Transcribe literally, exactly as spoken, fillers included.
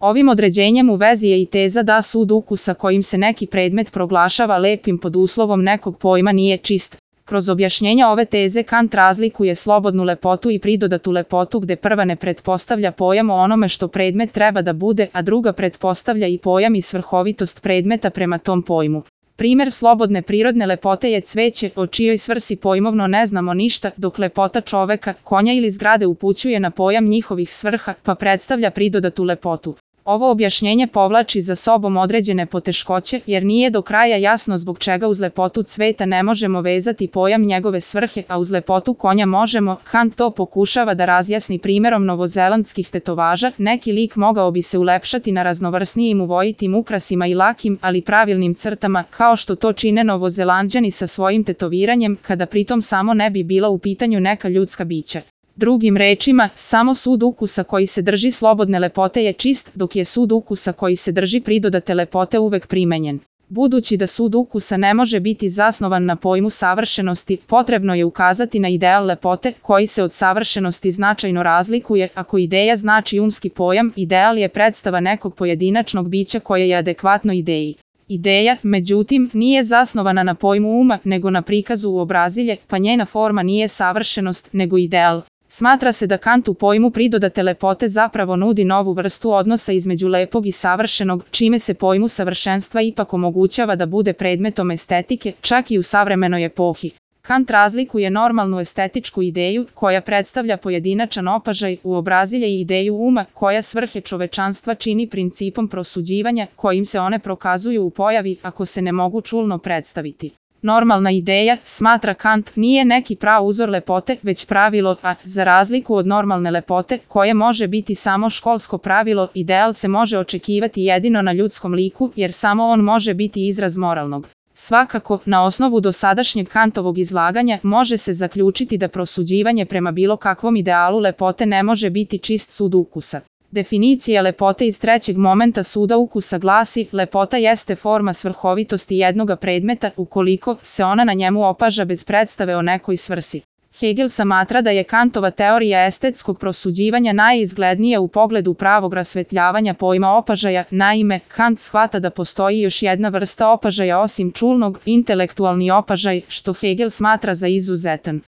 Ovim određenjem u vezi je i teza da sud ukusa kojim se neki predmet proglašava lepim pod uslovom nekog pojma nije čist. Kroz objašnjenja ove teze Kant razlikuje slobodnu lepotu i pridodatu lepotu gde prva ne pretpostavlja pojam o onome što predmet treba da bude, a druga pretpostavlja i pojam i svrhovitost predmeta prema tom pojmu. Primer slobodne prirodne lepote je cveće, o čijoj svrsi pojmovno ne znamo ništa, dok lepota čoveka, konja ili zgrade upućuje na pojam njihovih svrha, pa predstavlja pridodatu lepotu. Ovo objašnjenje povlači za sobom određene poteškoće, jer nije do kraja jasno zbog čega uz lepotu cveta ne možemo vezati pojam njegove svrhe, a uz lepotu konja možemo. Kant to pokušava da razjasni primerom novozelandskih tetovaža. Neki lik mogao bi se ulepšati na raznovrsnijim uvojitim ukrasima i lakim, ali pravilnim crtama, kao što to čine Novozelanđani sa svojim tetoviranjem, kada pritom samo ne bi bila u pitanju neka ljudska bića. Drugim rečima, samo sud ukusa koji se drži slobodne lepote je čist, dok je sud ukusa koji se drži pridodate lepote uvek primenjen. Budući da sud ukusa ne može biti zasnovan na pojmu savršenosti, potrebno je ukazati na ideal lepote, koji se od savršenosti značajno razlikuje. Ako ideja znači umski pojam, ideal je predstava nekog pojedinačnog bića koje je adekvatno ideji. Ideja, međutim, nije zasnovana na pojmu uma, nego na prikazu uobrazilje, pa njena forma nije savršenost, nego ideal. Smatra se da Kant u pojmu pridodate lepote zapravo nudi novu vrstu odnosa između lepog i savršenog, čime se pojmu savršenstva ipak omogućava da bude predmetom estetike, čak i u savremenoj epohi. Kant razlikuje normalnu estetičku ideju, koja predstavlja pojedinačan opažaj, uobrazilje i ideju uma, koja svrhe čovečanstva čini principom prosuđivanja, kojim se one prokazuju u pojavi, ako se ne mogu čulno predstaviti. Normalna ideja, smatra Kant, nije neki prauzor lepote, već pravilo, a, za razliku od normalne lepote, koje može biti samo školsko pravilo, ideal se može očekivati jedino na ljudskom liku, jer samo on može biti izraz moralnog. Svakako, na osnovu dosadašnjeg Kantovog izlaganja, može se zaključiti da prosuđivanje prema bilo kakvom idealu lepote ne može biti čist sud ukusa. Definicija lepote iz trećeg momenta suda ukusa glasi: lepota jeste forma svrhovitosti jednoga predmeta, ukoliko se ona na njemu opaža bez predstave o nekoj svrsi. Hegel smatra da je Kantova teorija estetskog prosuđivanja najizglednija u pogledu pravog rasvetljavanja pojma opažaja. Naime, Kant shvata da postoji još jedna vrsta opažaja osim čulnog, intelektualni opažaj, što Hegel smatra za izuzetan.